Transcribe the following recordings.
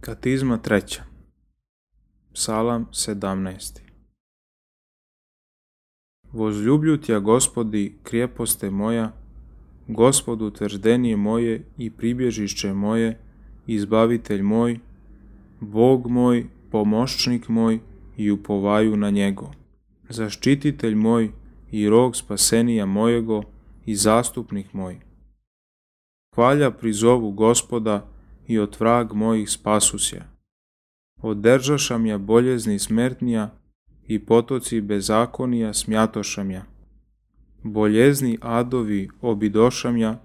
Katizma 3. Psalam 17. Возлюблю Тя, Господи, крепосте моja, Gospod utvrđenje moje i pribježišće moje, izbavitelj moj, Bog moj, pomoćnik moj i upovaju na njego, zaštititelj moj i rog spasenija mojego i zastupnik moj. Hvalja prizovu Gospoda i od vrag mojih spasusja. Održaša mja boljezni smrtnija i potoci bezakonija smjatoša mja. Boljezni adovi obidoša mja,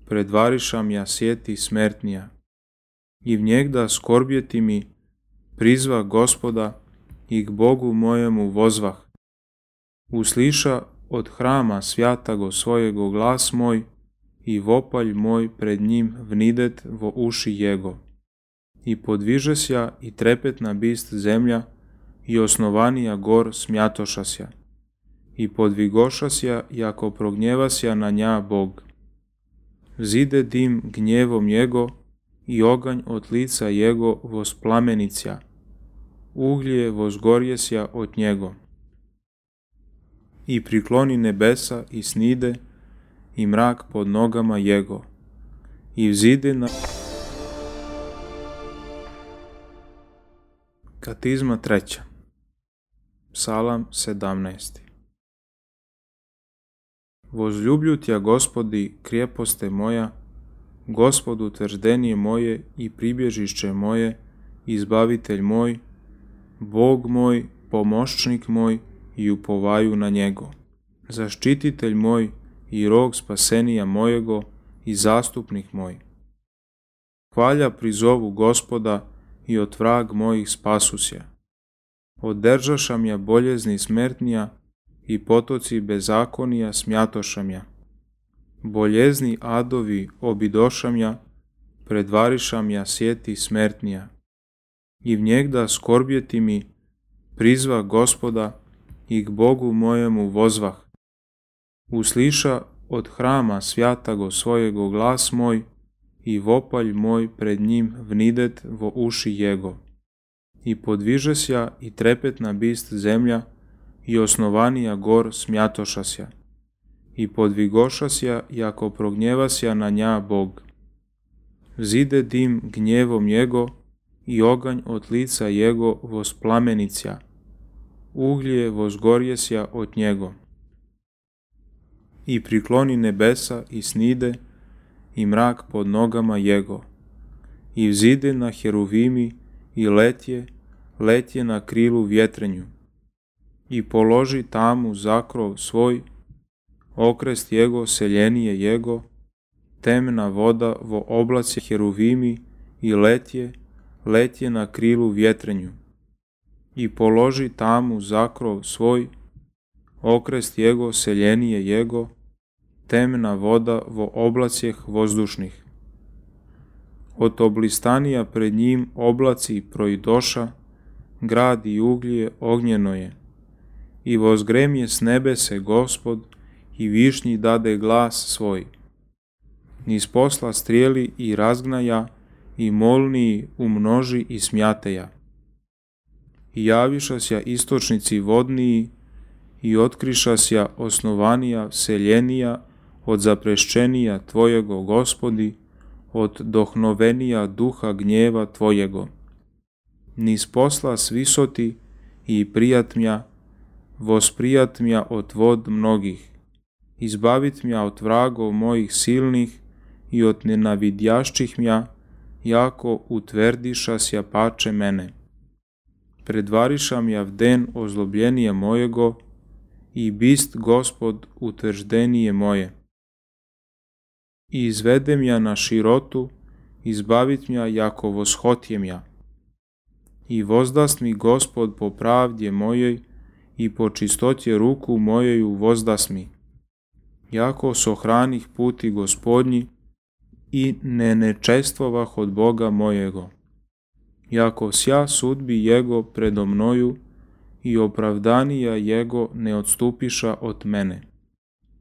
predvariša mja sjeti smrtnija. I vnjegda skorbjeti mi, prizva Gospoda i k Bogu mojemu vozvah. Usliša od hrama svjatago svojego glas moj i vopalj moj pred njim vnidet vo uši jego. I podvižesja i trepetna bist zemlja i osnovanija gor smjatošasja. I podvigošasja jako prognjevasja na nja Bog. Vzide dim gnjevom jego i oganj od lica jego vosplamenicja. Uglje vozgorjesja od njego. I prikloni nebesa i snide i mrak pod nogama jego. I vzide na... Katizma 3. Psalam 17. Возлюблю Тя, Господи, крепосте моja, Gospod utvrđenje moje i pribježišće moje, izbavitelj moj, Bog moj, pomoćnik moj i upovaju na njego, zaštititelj moj i rog spasenija mojego i zastupnik moj. Hvalja prizovu Gospoda i od vrag mojih spasusja. Održaša mja boljezni smrtnija i potoci bezakonija smjatoša mja. Boljezni adovi obidoša mja, predvariša mja sjeti smrtnija. I vnjegda skorbjeti mi, prizva Gospoda i k Bogu mojemu vozvah. Usliša od hrama svjatago svojego glas moj i vopalj moj pred njim vnidet vo uši jego. I podvižesja i trepetna bist zemlja i osnovanija gor smjatošasja. I podvigošasja jako prognjevasja na nja Bog. Vzide dim gnjevom jego i oganj od lica jego vosplamenicja. Uglje vozgorjesja od njego. I prikloni nebesa i snide i mrak pod nogama jego. I vzide na heruvimi i letje na krilu vjetrenju. I položi tamu zakrov svoj, okrest jego seljenije jego, temna voda vo oblaci heruvimi i letje na krilu vjetrenju. I položi tamu zakrov svoj, okrest jego seljenije jego, temna voda vo oblacjeh vozdušnih. Od oblistanija pred njim oblaci projdoša, grad i uglje ognjeno je. I vozgremje s nebese Gospod i višnji dade glas svoj. Niz posla strijeli i razgnaja i molniji umnoži i smjateja. I javišasja istočnici vodniji i otkrišasja osnovanija seljenija od zaprešćenija Tvojego Gospodi, od dohnovenija duha gnjeva Tvojego. Niz posla svisoti i prijatmja, vosprijatmja od vod mnogih, izbavit mja od vragov mojih silnih i od nenavidjašćih mja, jako utvrdišasja pače mene. Predvariša mja vden ozlobljenije mojego i bist Gospod utvrđenije moje. I izvede mja na širotu, izbavit mja jako voshotje mja. I vozdast mi Gospod po pravdje mojej i po čistotje ruku mojeju vozdast mi. Jako sohranih puti Gospodnji i ne nečestvovah od Boga mojego. Jako sja sudbi jego predo mnoju i opravdanija jego ne odstupiša od mene.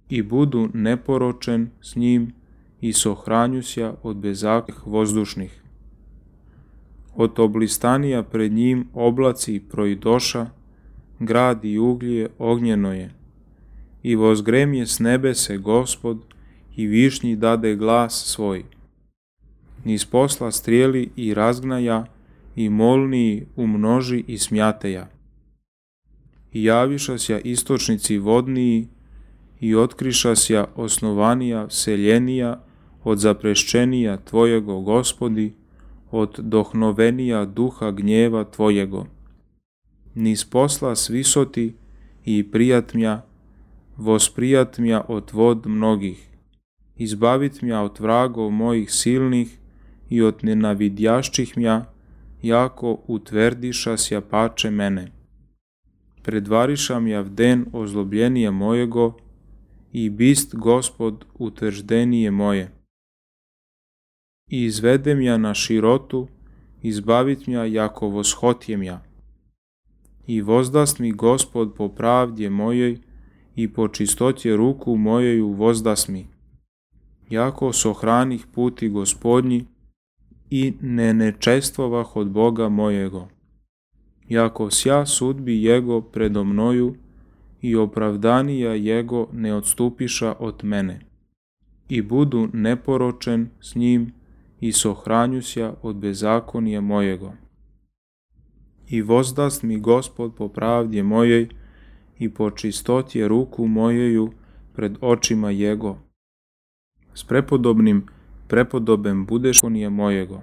I budu neporočen s njim i sohranjusja od bezakih vozdušnih. od oblistanija pred njim oblaci proidoša, grad i uglje ognjeno je. I vozgremje s nebese Gospod, i višnji dade glas svoj. Niz posla strijeli i razgnaja, i molniji umnoži i smjateja. I javišasja istočnici vodniji, i otkrišasja osnovanija seljenija od zapreščenija Tvojego, Gospodi, od dohnovenija duha gnjeva Tvojego. Niz posla svisoti i prijatmja, vosprijatmja od vod mnogih, izbavitmja od vragov mojih silnih i od nenavidjašćih mja, jako utverdišasja pače mene. Predvarišam ja vden ozlobljenije mojego, i bist Gospod utvrđdenije moje. I izvedem ja na širotu, izbavit mja jako voshotjem ja. I vozdast mi Gospod po pravdje mojej, i po čistotje ruku mojeju vozdast mi. Jako sohranih puti Gospodnji, i ne nečestvovah od Boga mojego. Jako sja sudbi Jego predo mnoju, i opravdanija Jego ne odstupiša od mene. I budu neporočen s njim, i sohranjusja od bezakonija mojego. I vozdast mi Gospod po pravdje mojej, i po čistotje ruku mojeju pred očima Jego. S prepodobem budeš konije mojego.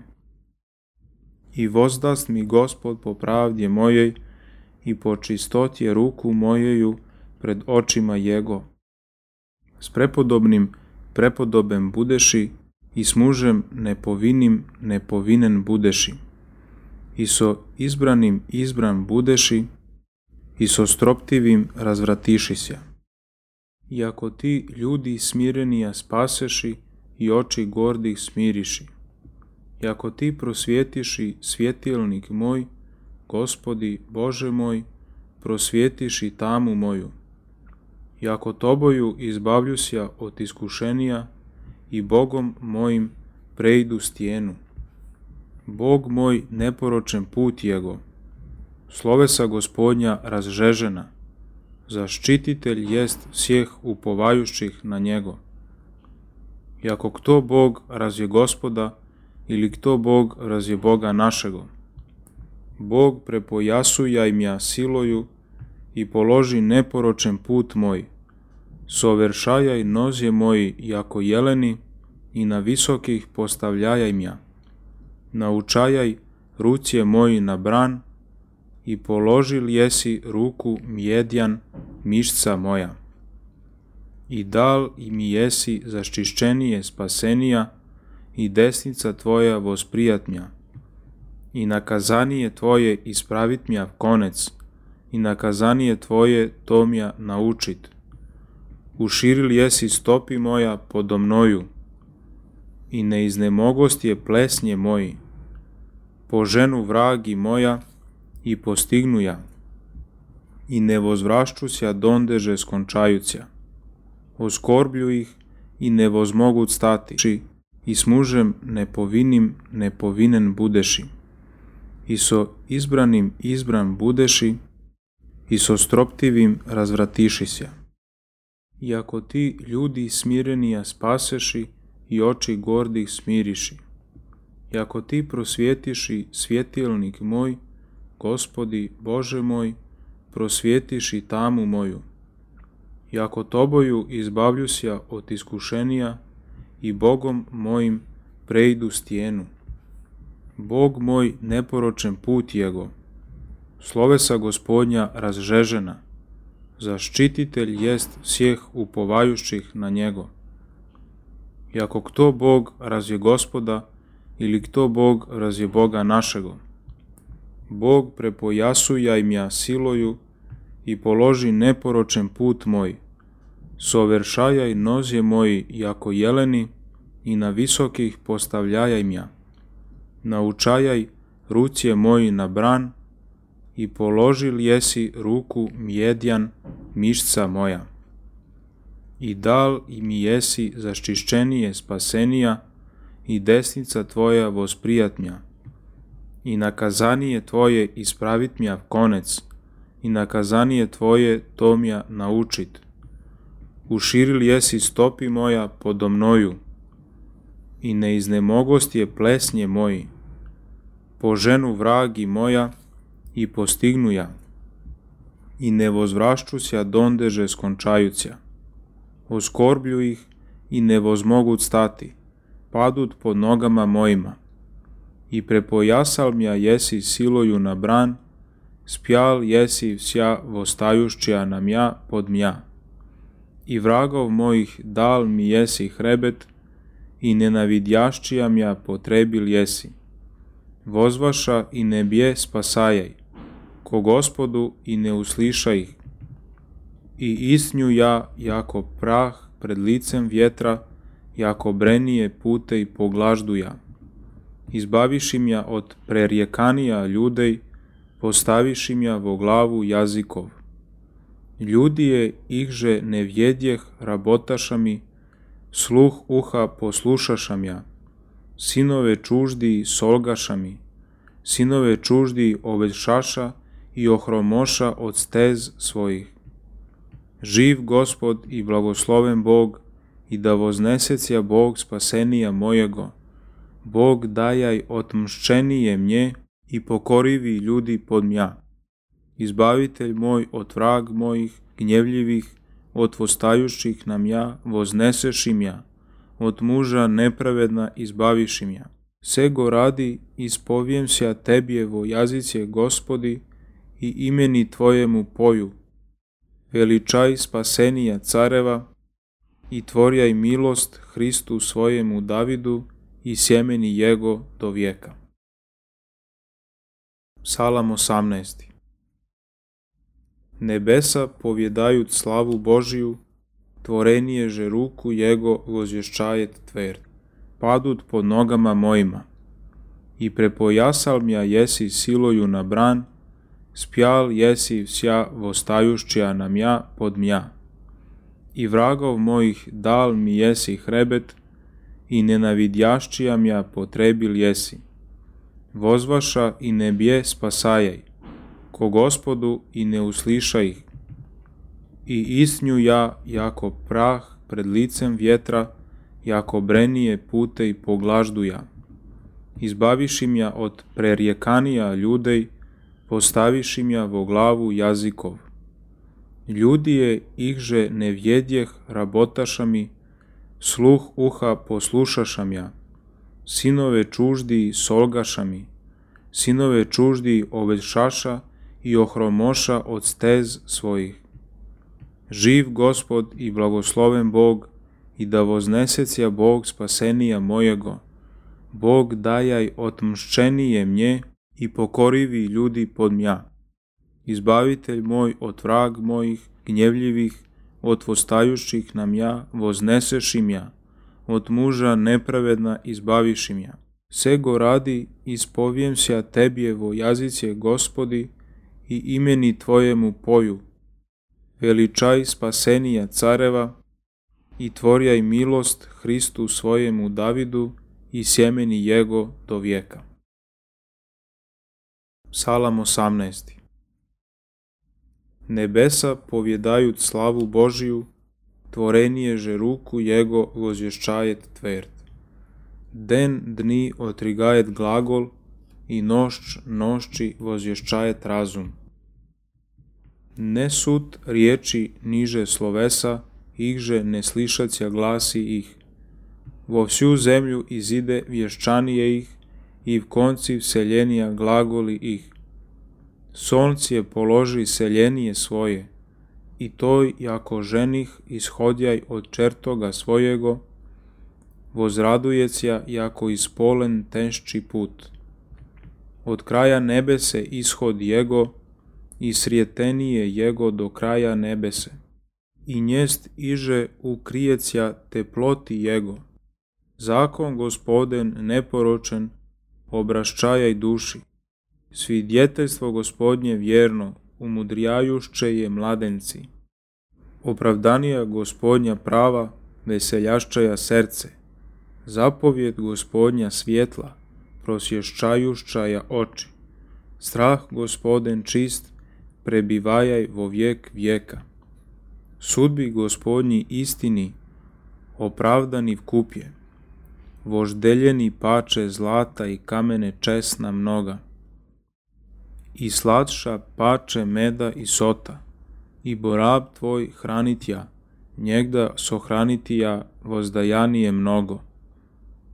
I vozdast mi Gospod po pravdje mojej, i po čistotje ruku mojeju pred očima Jego. S prepodobem budeši, i s mužem nepovinen budeši. I so izbranim izbran budeši, i so stroptivim razvratišisja. I ako ti ljudi smirenija spaseši, i oči gordih smiriši. I ako ti prosvjetiši svjetilnik moj, Gospodi Bože moj, prosvjetiši tamu moju. I ako toboju izbavljusja od iskušenija, i Bogom mojim prejdu stijenu. Bog moj neporočen put Jego, slovesa Gospodnja razžežena, zaštititelj jest svih upovajućih na Njego. I ako kto Bog razje Gospoda, ili kto Bog razje Boga našego, Bog prepojasujaj mja siloju, i položi neporočen put moj, soveršajaj nozje moji jako jeleni, i na visokih postavljajaj mja. Naučajaj rucije moji na bran, i položil jesi ruku mjedjan mišca moja. I dal i mi jesi zaštišćenije spasenija, i desnica Tvoja vosprijatmja. I nakazanije Tvoje ispravitmja konec, i nakazanije Tvoje tomja naučit. Uširil jesi stopi moja podo mnoju, i ne iznemogost je plesnje moji. Poženu vragi moja, i postignu ja, i ne vozvrašćusja dondeže skončajuća. Oskorblju ih, i ne vozmogut stati, i s mužem nepovinen budeši. I so izbranim izbran budeši, i so stroptivim razvratišisja. I ako ti ljudi smirenija spaseši, i oči gordih smiriši. I ako ti prosvjetiši svjetilnik moj, Gospodi Bože moj, prosvjetiši tamu moju. I ako toboju izbavljusja od iskušenija, i Bogom mojim prejdu stijenu. Bog moj neporočen put Jego, slovesa Gospodnja razžežena, zaštititelj jest svih upovajućih na Njego. I ako kto Bog razje Gospoda, ili kto Bog razje Boga našego, Bog prepojasujaj mja siloju, i položi neporočen put moj, soveršajaj nozje moji jako jeleni, i na visokih postavljajaj mja. Naučajaj rucije moji na bran, i položil jesi ruku mjedjan mišca moja. I dal i mi jesi zaštišćenije spasenija, i desnica Tvoja vosprijatmja. i nakazanije tvoje ispravit mja konec, i nakazanije tvoje to mja naučit. Uširil jesi stopi moja podo mnoju, i ne iznemogost je plesnje moji. Po ženu vragi moja i postignu ja, i ne vozvrašćuća dondeže skončajuća. Oskorblju ih i ne vozmogut stati, padut pod nogama mojima. I prepojasal mja jesi siloju na bran, spjal jesi vsja vostajušća na mja pod mja. I vragov mojih dal mi jesi hrebet, i nenavidjašćija mja potrebil jesi. Vozvaša i ne bje spasajaj, ko Gospodu i ne usliša ih. I isnju ja jako prah pred licem vjetra, jako brenije pute i poglaždu ja. Izbaviši mja od prerjekanija ljudej, postaviši mja vo glavu jazikov. Ljudije ihže ne vjedjeh rabotaša mi, sluh uha poslušaša mja. Sinove čuždi solgaša mi, sinove čuždi ovešaša i ohromoša od stez svojih. Živ Gospod i blagosloven Bog, i da voznesecija Bog spasenija mojego. Bog dajaj otmšćenije mnje i pokorivi ljudi pod mja. Izbavitelj moj od vrag mojih gnjevljivih, od vostajućih na mja vozneseši mja, od muža nepravedna izbaviši mja. Sego radi ispovijem sja tebjevo jazice Gospodi i imeni tvojemu poju. Veličaj spasenija careva i tvorjaj milost Hristu svojemu Davidu i sjemeni jego do vijeka. Psalam 18. Nebesa povjedajuć slavu Božiju, tvoreniježe ruku jego vozješćajet tverd, padut pod nogama mojima. I prepojasal mja jesi siloju na bran, spjal jesi vsja vostajušća na mja pod mja. I vragov mojih dal mi jesi hrebet, i nenavidjašćija mja potrebil jesi. Vozvaša i ne bje spasajaj, ko Gospodu i ne usliša ih. I isnju ja jako prah pred licem vjetra, jako brenije pute i poglaždu ja. Izbaviši mja od prerjekanija ljudej, postaviši mja vo glavu jazikov. Ljudije ihže ne vjedjeh rabotaša mi, sluh uha poslušaša mja. Sinove čuždi solgaša mi, sinove čuždi ovešaša i ohromoša od stez svojih. Živ Gospod i blagosloven Bog, i da voznesecija Bog spasenija mojego. Bog dajaj otmšćenije mnje i pokorivi ljudi pod mja. Izbavitelj moj od vrag mojih gnjevljivih, od vostajućih na mja vozneseši mja, od muža nepravedna izbaviši mja. Sego radi ispovijem sja tebjevo jazice Gospodi i imeni tvojemu poju. Veličaj spasenija careva i tvorjaj milost Hristu svojemu Davidu i sjemeni jego do vijeka. Psalam 18. Nebesa povjedajuć slavu Božiju, tvoreniježe ruku jego vozješćajet tverd. Den dni otrigajet glagol i nošć nošći vozješćajet razum. Ne sud riječi niže slovesa, ihže ne slišacija glasi ih. Vo vsju zemlju izide vješčanije ih i v konci vseljenija glagoli ih. Soncije položi seljenije svoje, i toj jako ženih ishodjaj od čertoga svojego, vozradujecija jako ispolen tenšći put. Od kraja nebese ishod jego, i srijetenije jego do kraja nebese. I njest iže ukrijecija teploti jego. Zakon Gospoden neporočen, obraščajaj duši. Svidjeteljstvo Gospodnje vjerno, umudrijajušće je mladenci. Opravdanija Gospodnja prava, veseljašćaja srce. Zapovjed Gospodnja svjetla, prosješčajuščaja oči. Strah Gospoden čist, prebivajaj vo vijek vijeka. Sudbi Gospodnji istini, opravdani vkupje. Voždeljeni pače zlata i kamene česna mnoga. I slatša pače meda i sota. I borab tvoj hranitja, njegda sohranitija vozdajanije mnogo.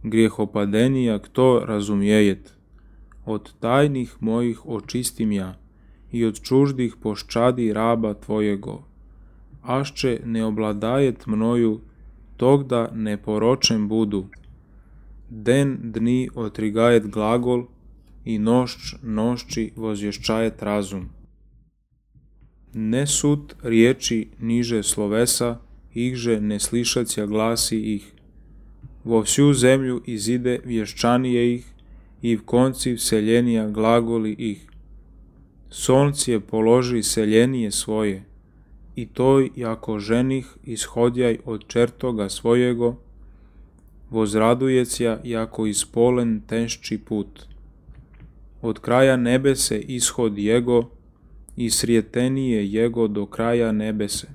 Grijehopadenija kto razumjejet, od tajnih mojih očistim ja i od čuždih poščadi raba tvojego. Ašće ne obladajet mnoju, tog da ne poročem budu. Den dni otrigajet glagol i nošć nošći vozješčajet razum. Ne sud riječi niže slovesa, ihže ne slišacija glasi ih. Vo vsju zemlju izide vješčanije ih i v konci vseljenija glagoli ih. Soncije položi seljenije svoje i toj jako ženih ishodjaj od čertoga svojego, vozradujecija jako ispolen tenšči put. Od kraja nebese ishod jego i srijetenije jego do kraja nebese.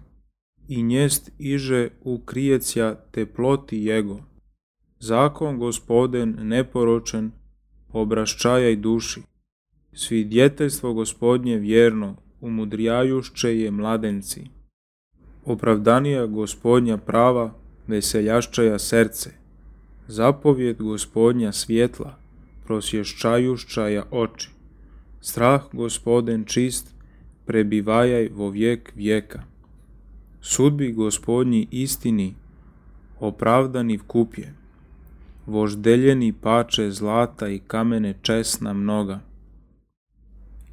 I njest iže ukrijecija teploti jego. Zakon Gospoden neporočen, obraščajaj duši. Svidjeteljstvo Gospodnje vjerno, umudrijajušće je mladenci. Opravdanija Gospodnja prava, veseljaščaja srce. Zapovjed Gospodnja svjetla, prosješčajuščaja oči. Strah Gospoden čist, prebivajaj vo vijek vijeka. Sudbi Gospodnji istini, opravdani vkupje. Voždeljeni pače zlata i kamene česna mnoga.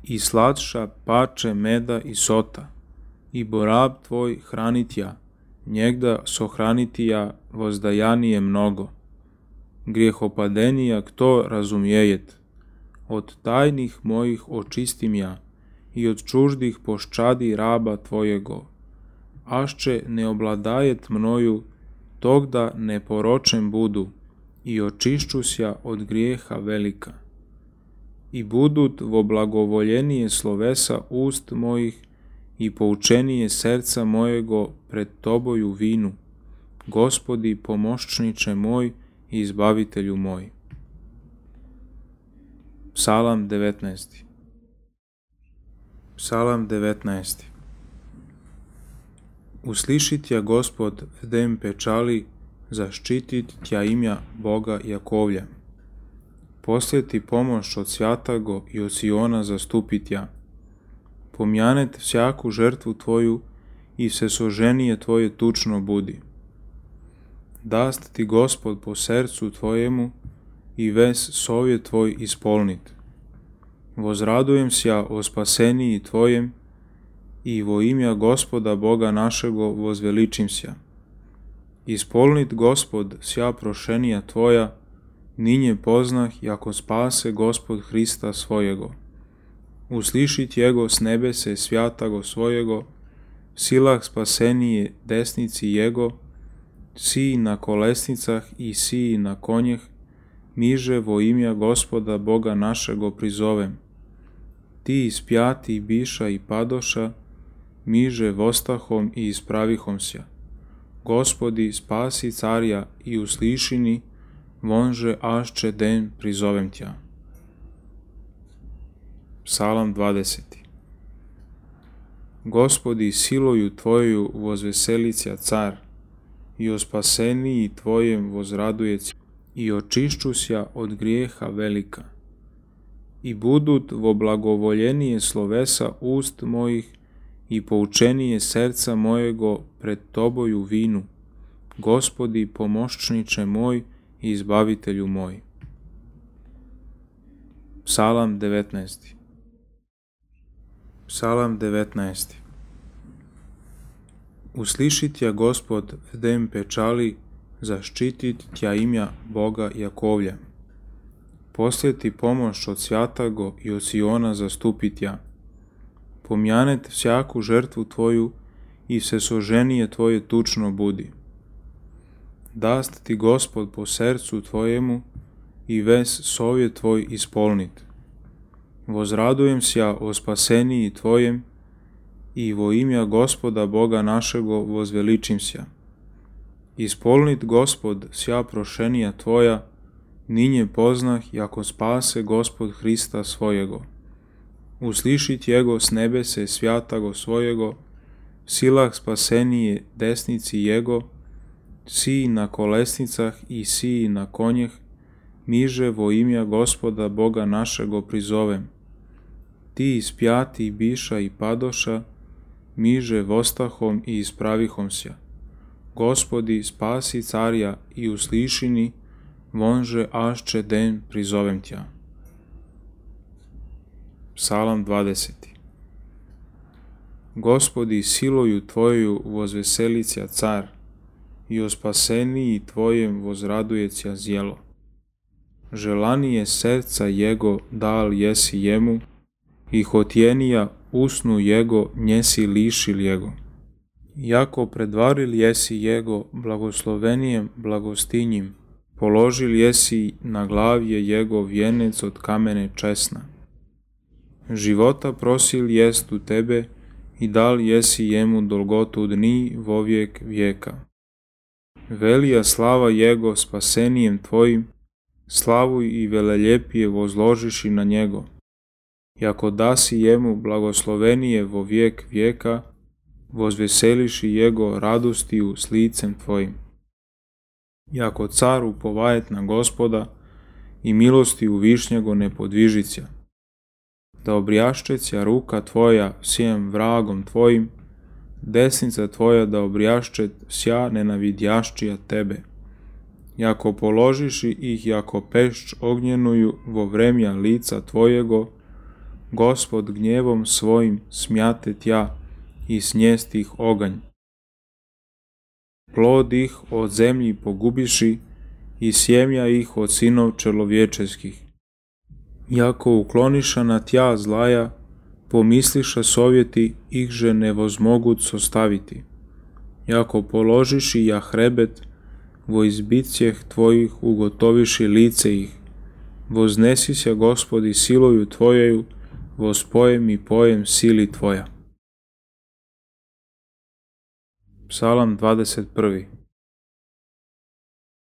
I slatša pače meda i sota. I borab tvoj hranitja, njegda sohranitija vozdajanije mnogo. Grijehopadenija kto razumjejet, od tajnih mojih očistim ja i od čuždih poščadi raba tvojego. Ašće ne obladajet mnoju, tog da ne poročem budu i očišćusja od grijeha velika. I budut vo blagovoljenije slovesa ust mojih i poučenije srca mojego pred toboju vinu, Gospodi pomoćniče moj i izbavitelju moj. Psalam 19. Psalam 19. Uslišit tja Gospod vdem pečali, zaštitit tja imja Boga Jakovlja. Posljeti pomoć od Svjatago i od Siona zastupit ja. Pomjanet vsjaku žrtvu tvoju i vsesoženije tvoje tučno budi. Dast ti Gospod po srcu tvojemu i ves sovjet tvoj ispolnit. Vozradujem sja o spaseniji tvojem i vo imja Gospoda Boga našego vozveličim sja. Ispolnit Gospod sja prošenija tvoja, ninje poznah jako spase Gospod Hrista svojego. Uslišit jego s nebese svjatago svojego, silah spasenije desnici jego, siji na kolesnicah i siji na konjeh, miže vo imja Gospoda Boga našego prizovem. Ti ispjati biša i padoša, miže vostahom i ispravihom sja. Gospodi spasi carja i uslišini, vonže ašće den prizovem tja. Psalam 20. Gospodi siloju tvoju vozveselića car, i o spaseniji tvojem vozradujeć, i očišćusja od grijeha velika. I budut vo blagovoljenije slovesa ust mojih i poučenije srca mojego pred toboju vinu, Gospodi pomoćniče moj i izbavitelju moj. Psalam 19. Psalam 19. Uslišit tja Gospod vdem pečali, zaštitit tja imja Boga Jakovlja. Posljeti pomoć od Svjatago i od Siona zastupit ja. Pomjanet vsjaku žrtvu tvoju i vsesoženije tvoje tučno budi. Dast ti Gospod po srcu tvojemu i ves sovjet tvoj ispolnit. Vozradujem sja o spaseniji tvojem i vo imja Gospoda Boga našego vozveličim sja. Ispolnit Gospod sja prošenija tvoja, ninje poznah, jako spase Gospod Hrista svojego. Uslišit jego s nebese svjatago svojego, silah spasenije desnici jego, siji na kolesnicah i siji na konjeh, miže vo imja Gospoda Boga našego prizovem. Ti ispjati biša i padoša, miže vostahom i ispravihom sja. Gospodi, spasi carja i uslišini, vonže ašče den prizovem tja. Psalam 20. Gospodi, siloju tvoju vozveselicja car, i o spaseniji tvojem vozradujecja zjelo. Želanije serca jego dal jesi jemu, i hotjenija usnu jego njesi lišil jego. Jako predvaril jesi jego blagoslovenijem blagostinjim, položil jesi na glavje jego vjenec od kamene česna. Života prosil jest u tebe i dal jesi jemu dolgotu dni vovijek vijeka. Velija slava jego spasenijem tvojim, slavu i veleljepije vozložiši na njego. Jako dasi jemu blagoslovenije vo vijek vijeka, vozveseliši jego radostiju s licem tvojim. Jako car upovajet na Gospoda i milostiju višnjego ne podvižića. Da obrjaščeća ruka tvoja sjem vragom tvojim, desnica tvoja da obrjaščet sja nenavidjaščija tebe. Jako položiši ih jako pešč ognjenuju vo vremja lica tvojego, Gospod gnjevom svojim smjate tja i snijest ih oganj. Plod ih od zemlji pogubiši i sjemja ih od sinov čelovječeskih. Jako ukloniša na tja zlaja, pomisliša sovjeti ihže ne vozmogut sostaviti. Jako položiši ja hrebet, vo izbicjeh tvojih ugotoviši lice ih. Voznesi se Gospodi siloju tvojeju, vospojem i pojem sili tvoja. Psalam 21.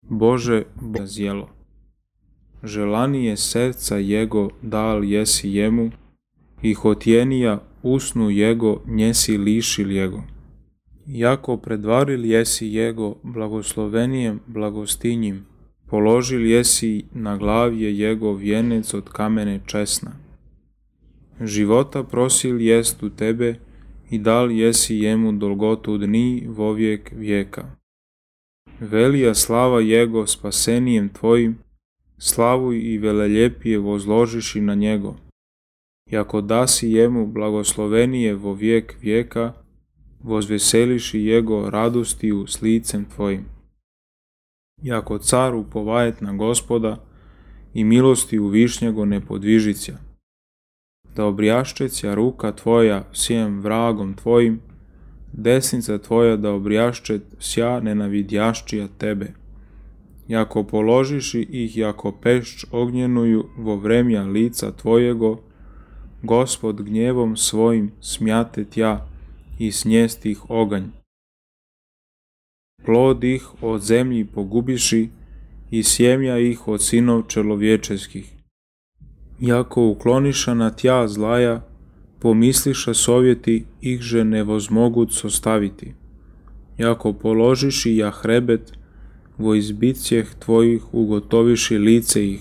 Bože, Boga zjelo. Želanije serca jego dal jesi jemu, i hotjenija usnu jego njesi lišil jego. Jako predvaril jesi jego blagoslovenijem blagostinjim, položil jesi na glavje jego vjenec od kamene česna. Života prosil jest u tebe i dal jesi jemu dolgotu dni vovijek vijeka. Velija slava jego spasenijem tvojim, slavu i veleljepije vozložiši na njego. Jako dasi jemu blagoslovenije vo vijek vijeka, vozveseliši jego radostiju s licem tvojim. Jako car upovajet na Gospoda i milostiju višnjego ne podvižića. Da obrjaščeća ruka tvoja sjem vragom tvojim, desnica tvoja da obrjaščet sja nenavidjaščija tebe. Jako položiši ih jako pešč ognjenuju vo vremja lica tvojego, Gospod gnjevom svojim smjate tja i snijest ih oganj. Plod ih od zemlji pogubiši i sjemja ih od sinov čelovječeskih. Jako ukloniša na tja zlaja, pomisliša sovjeti ihže ne vozmogut sostaviti. Jako položiši ja hrebet, vo izbicjeh tvojih ugotoviši lice ih.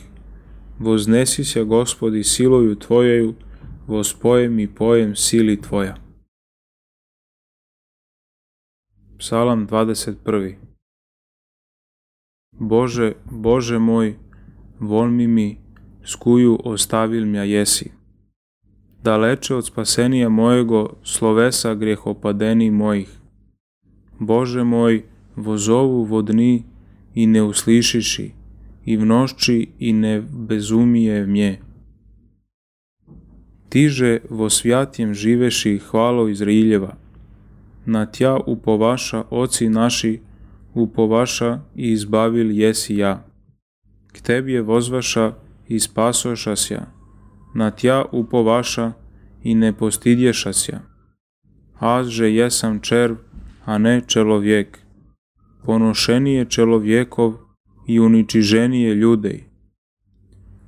Voznesi se Gospodi siloju tvojeju, vospojem i pojem sili tvoja. Psalam 21. Bože, Bože moj, volmi mi, skuju ostavil mja jesi. Daleče od spasenija mojego, slovesa grjehopadeni mojih. Bože moj, vozovu vodni i ne uslišiši, i v nošči i ne bezumije mje. Tiže vo svjatjem živeši hvalo Izraeljeva, na tja upovaša oci naši, upovaša i izbavil jesi ja. k Tebie vozvaša i spasošasja, na Tja upovaša i ne postidješasja. Azže jesam červ, a ne čelovjek, ponošenije čelovjekov i uničiženije ljudej.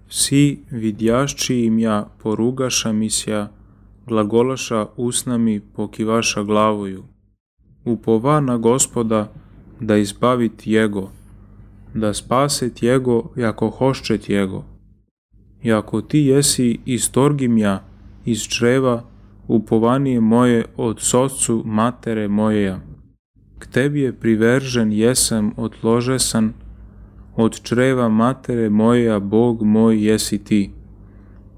Vsi vidjašći im ja porugaša misja, glagolaša usnami pokivaša glavoju. Upova na Gospoda da izbavit Jego, da spaset Jego jako hoščet Jego. Jako Ti jesi istorgim ja iz čreva, upovanije moje od socu matere mojeja. K Tebi je privržen jesam odložesan, od čreva matere mojeja Bog moj jesi Ti.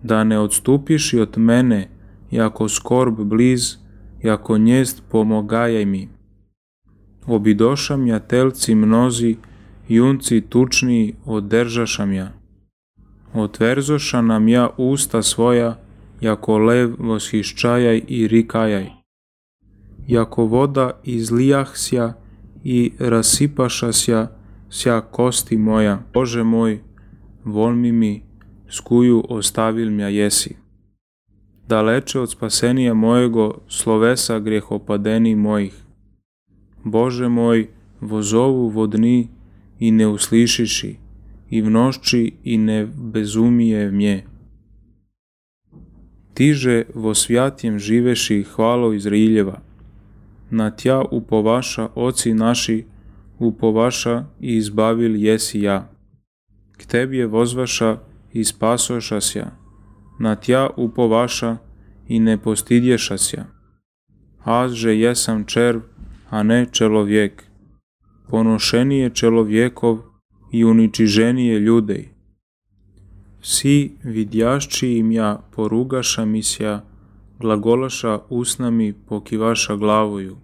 Da ne odstupiš i od mene, jako skorb bliz, jako njezd pomogajaj mi. Obidošam ja telci mnozi, junci tučniji održašam ja. Otverzoša nam ja usta svoja, jako lev voshiščajaj i rikajaj. Jako voda izlijahsja i rasipašasja sja kosti moja. Bože moj, volmi mi, skuju ostavil mja jesi. Daleče od spasenija mojego slovesa grjehopadeni mojih. Bože moj, vozovu vodni i ne uslišiši, i v nošči i ne bezumije mje. Tiže vo svjatjem živeši hvalo Izraeljeva, na Tja upovaša oci naši, upovaša i izbavil jesi ja. K Tebi je vozvaša i spasošasja, na Tja upovaša i ne postidješasja. Azže jesam červ, a ne čelovjek, ponošenije čelovjekov i uničiženije ljudej. Vsi vidjašći im ja porugaša misja, glagolaša usnami pokivaša glavoju.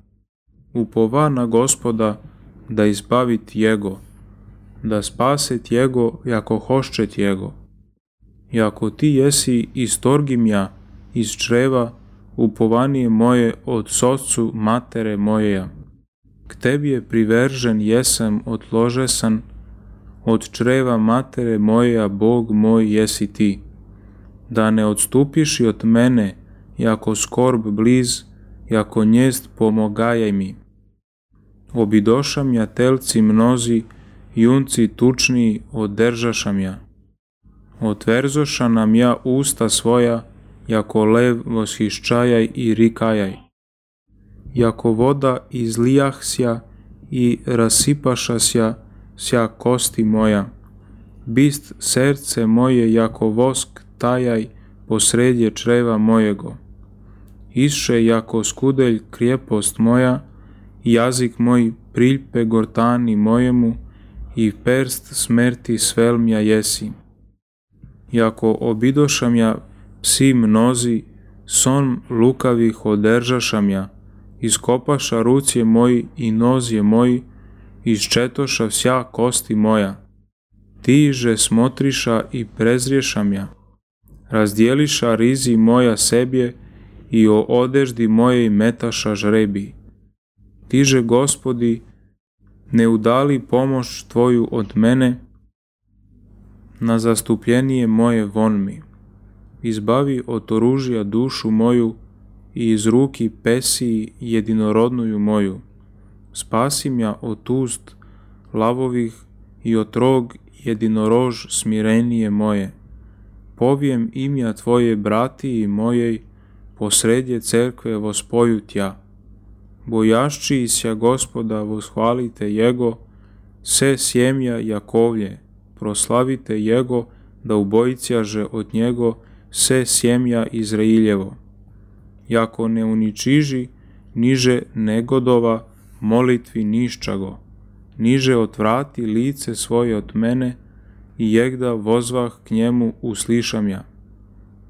Upova na Gospoda da izbavit Jego, da spaset Jego jako hoščet Jego. Jako Ti jesi istorgim ja iz čreva, upovanije moje od socu matere mojeja. K Tebi je privržen jesam odložesan, od čreva matere mojeja Bog moj jesi Ti. Da ne odstupiš i od mene, jako skorb bliz, jako njezd pomogajaj mi. Obidošam ja telci mnozi, junci tučniji održašam ja. Otverzoša nam ja usta svoja, jako lev voshiščajaj i rikajaj. Jako voda izlijahsja i rasipašasja sja kosti moja. Bist srce moje jako vosk tajaj posredje čreva mojego. Isše jako skudelj krijepost moja, jazik moj priljpe gortani mojemu i perst smrti svelmja jesi. Jako obidošam ja psi mnozi, son lukavih održašam ja, iskopaša rucije moji i nozje moji, iščetoša vsja kosti moja. Tiže smotriša i prezriješam ja, razdjeliša rizi moja sebje i o odeždi mojej metaša žrebi. Tiže, Gospodi, ne udali pomoć Tvoju od mene, na zastupljenije moje von mi. Izbavi od oružja dušu moju i iz ruki pesiji jedinorodnuju moju. Spasim ja od ust lavovih i od rog jedinorož smirenije moje. Povijem imja Tvoje bratiji mojej, posredje cerkve vospoju Tja. Bojašći sja Gospoda voshvalite Jego, se sjemja Jakovlje, proslavite Jego, da ubojicjaže od Njego se sjemja Izrailjevo. Jako ne uničiži, niže negodova, molitvi niščago, niže otvrati lice svoje od mene i jegda vozvah k njemu uslišam ja.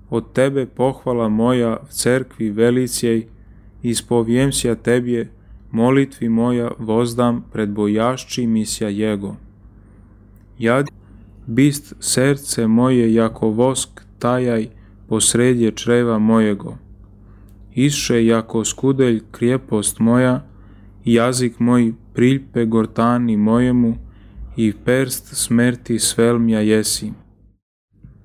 Od Tebe pohvala moja v cerkvi velicijej, ispovijem sja Tebje, molitvi moja vozdam pred bojašći misja Jego. Jad bist srce moje jako vosk tajaj posredje čreva mojego. Isše jako skudelj krijepost moja, jazik moj priljpe gortani mojemu i perst smrti svelmja jesi.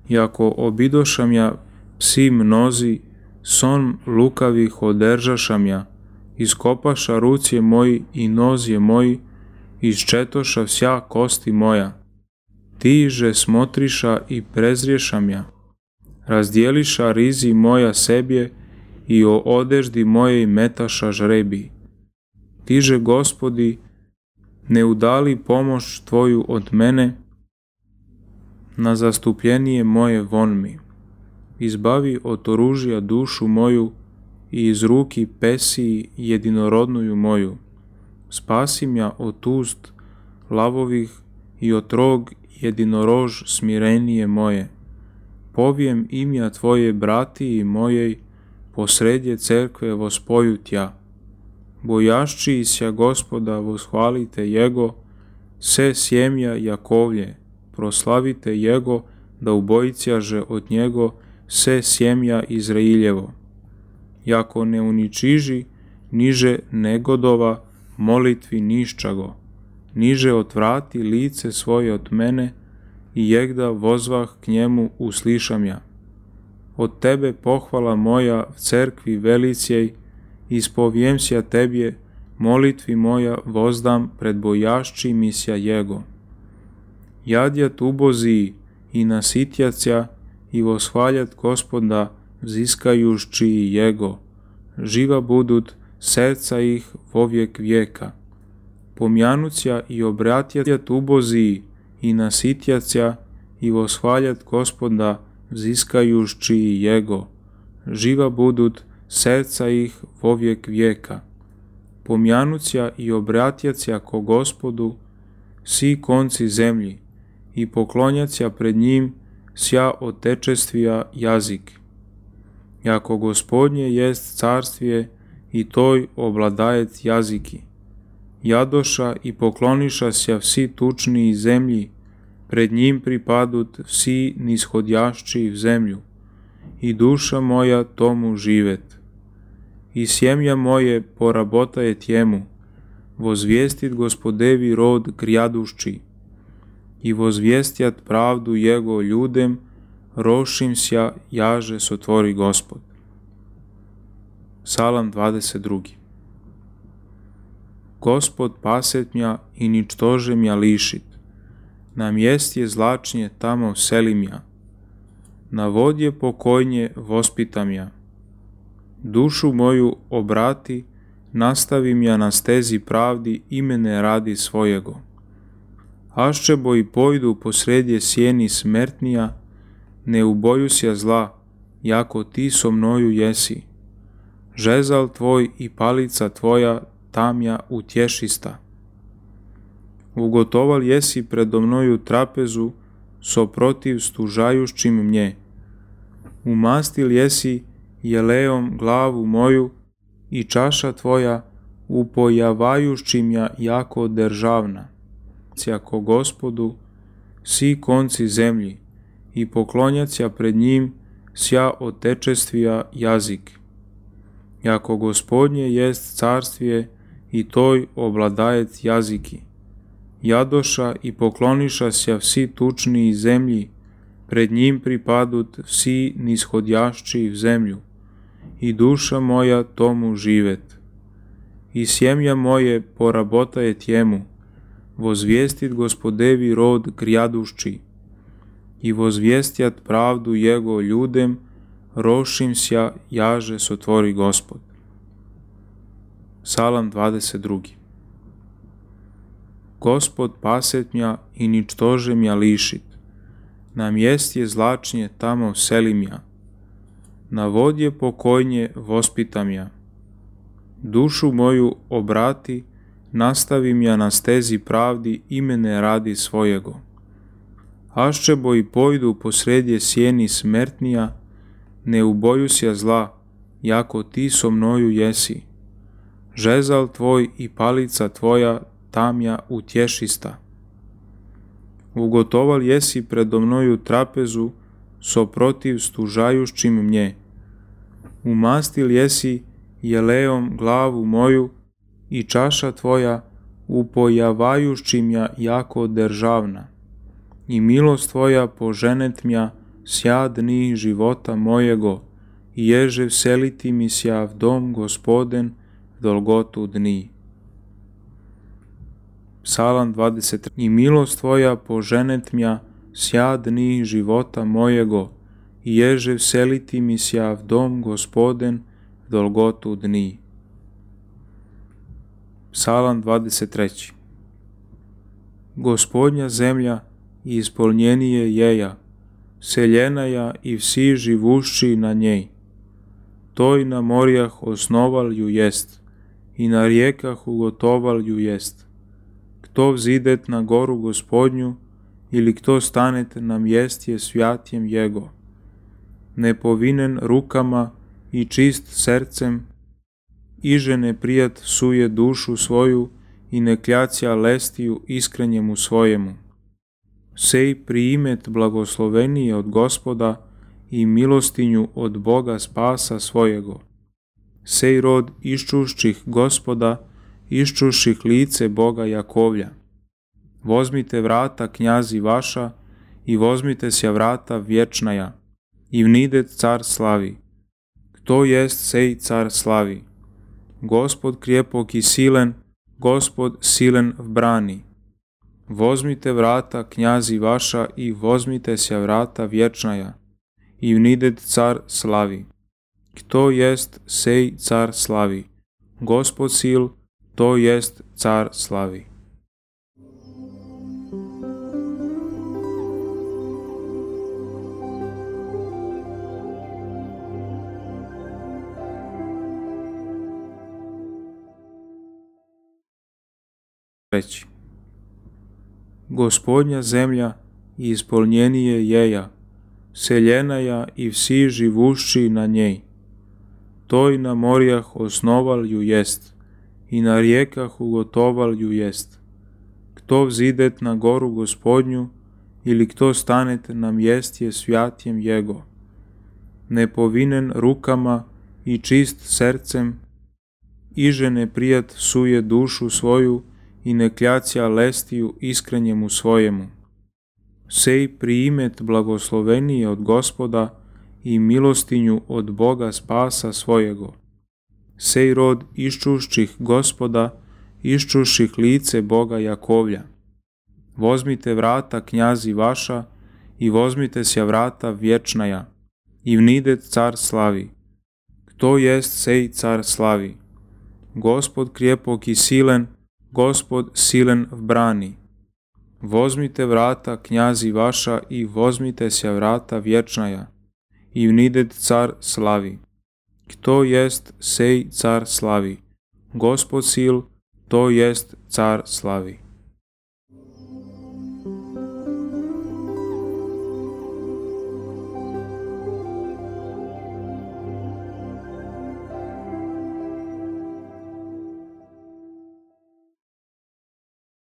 Iako obidošam ja psi mnozi, son lukavih održašam ja, iskopaša rucije moji i nozje moji, iščetoša vsja kosti moja. Ti že smotriša i prezriješam ja, razdjeliša rizi moja sebje i o odeždi mojej metaša žrebi. Ti že, Gospodi, ne udali pomoć Tvoju od mene, na zastupljenije moje von mi. Izbavi od oružja dušu moju i iz ruki pesiji jedinorodnuju moju. Spasim ja od ust lavovih i od rog jedinorož smirenije moje. Povijem imja Tvoje bratiji mojej, posredje cerkve vospoju Tja. Bojašći sja Gospoda voshvalite Jego, se sjemja Jakovlje, proslavite Jego, da ubojicjaže od Njego se sjemja Izrailjevo. Jako ne uničiži, niže negodova, molitvi niščago, niže otvrati lice svoje od mene i jegda vozvah k njemu uslišam ja. Od Tebe pohvala moja v cerkvi velicijej, ispovijem sja Tebje, molitvi moja vozdam pred bojašći misja Jego. Jadjat uboziji i nasitjacja i voshvaljat Gospoda vziskajušći Jego, živa budut serca ih vovijek vijeka. Pomjanucja i obratjat uboziji i nasitjacja i voshvaljat Gospoda vziskajušći Jego, živa budut serca ih vovijek vijeka. Pomjanucja i obratjacja ko Gospodu svi konci zemlji i poklonjacja pred njim sja otečestvija jazik. Jako Gospodnje jest carstvije i toj obladajet jaziki. Jadoša i pokloniša sja vsi tučniji zemlji, pred njim pripadut vsi nishodjašći v zemlju, i duša moja tomu živet. I sjemja moje porabotajet jemu, vozvijestit Gospodevi rod grjadušći, i vozvijestjat pravdu Jego ljudem, rošim sja jaže sotvori Gospod. Psalam 22. Gospod paset mja i ničtože mja lišit, na mjestje zlačnje tamo selim ja, na vodje pokojnje vospitam ja. Dušu moju obrati, nastavim ja na stezi pravdi imene radi svojego. Aščebo i pojdu posredje sjeni smrtnija, ne uboju sja zla, jako Ti so mnoju jesi. Žezal Tvoj i palica Tvoja tamja utješista. Ugotoval jesi predo mnoju trapezu, so protiv stužajušćim mnje. Umastil jesi jelejom glavu moju i čaša Tvoja upojavajušćim ja jako državna. Ko Gospodu svi konci zemlji i poklonjacja pred njim sja otečestvija jazik. Jako Gospodnje jest carstvije i toj obladajet jaziki. Jadoša i pokloniša sja vsi tučniji zemlji, pred njim pripadut vsi nishodjašći v zemlju, i duša moja tomu živet. I sjemja moje porabotajet jemu, vozvijestit Gospodevi rod grjadušći, i vozvijestjat pravdu Jego ljudem, rošim sja jaže sotvori Gospod. Psalam 22. Gospod paset mja i ničtože mja lišit, na mjestje zlačnje tamo selim ja, na vodje pokojnje vospitam ja. Dušu moju obrati, nastavim ja na stezi pravdi imene radi svojego. Aščebo i pojdu posredje sjeni smrtnija, ne uboju sja zla, jako Ti so mnoju jesi. Žezal Tvoj i palica Tvoja tamja utješista. Ugotoval jesi predo mnoju trapezu, so protiv stužajušćim mnje. Umastil jesi jelejom glavu moju i čaša Tvoja upojavajući mja jako državna, i milost Tvoja poženet mja sja dni života mojego, i ježe vseliti mi sja v dom Gospoden dolgotu dni. Psalam 23. I milost Tvoja poženet mja sja dni života mojego, i ježe vseliti mi sja v dom Gospoden dolgotu dni. Psalam 23. Gospodnja zemlja i ispolnjenije jeja, seljenaja i vsi živušći na njej. Toj na morjah osnoval ju jest, i na rijekah ugotoval ju jest. Kto vzidet na goru Gospodnju, ili kto stanet na mjestje svjatjem Jego, nepovinen rukama i čist srcem, iže ne prijat suje dušu svoju i ne kljacija lestiju iskrenjemu svojemu. Sej priimet blagoslovenije od Gospoda i milostinju od Boga spasa svojego. Sej rod iščušćih Gospoda, iščušćih lice Boga Jakovlja. Vozmite vrata knjazi vaša i vozmite sja vrata vječnaja, i vnidet car slavi. Kto jest sej car slavi? Gospod krijepok i silen, Gospod silen v brani. Vozmite vrata knjazi vaša i vozmite sja vrata vječnaja, i vnidet car slavi. Kto jest sej car slavi? Gospod sil, to jest car slavi. Reći. Gospodnja zemlja i ispolnjenije jeja, seljenaja i vsi živušći na njej. Toj na morjah osnoval ju jest, i na rijekah ugotoval ju jest. Kto vzidet na goru Gospodnju, ili kto stanet na mjestje svjatjem Jego, nepovinen rukama i čist srcem, iže ne prijat suje dušu svoju i ne kljacija lestiju iskrenjemu svojemu. Sej priimet blagoslovenije od Gospoda i milostinju od Boga spasa svojego. Sej rod iščušćih Gospoda, iščušćih lice Boga Jakovlja. Vozmite vrata knjazi vaša i vozmite sja vrata vječnaja, i vnidet car slavi. Kto jest sej car slavi? Gospod krijepok i silen, Gospod silen v brani. Vozmite vrata knjazi vaša i vozmite sja vrata vječnaja, i vnidet car slavi. Kto jest sej car slavi? Gospod sil, to jest car slavi.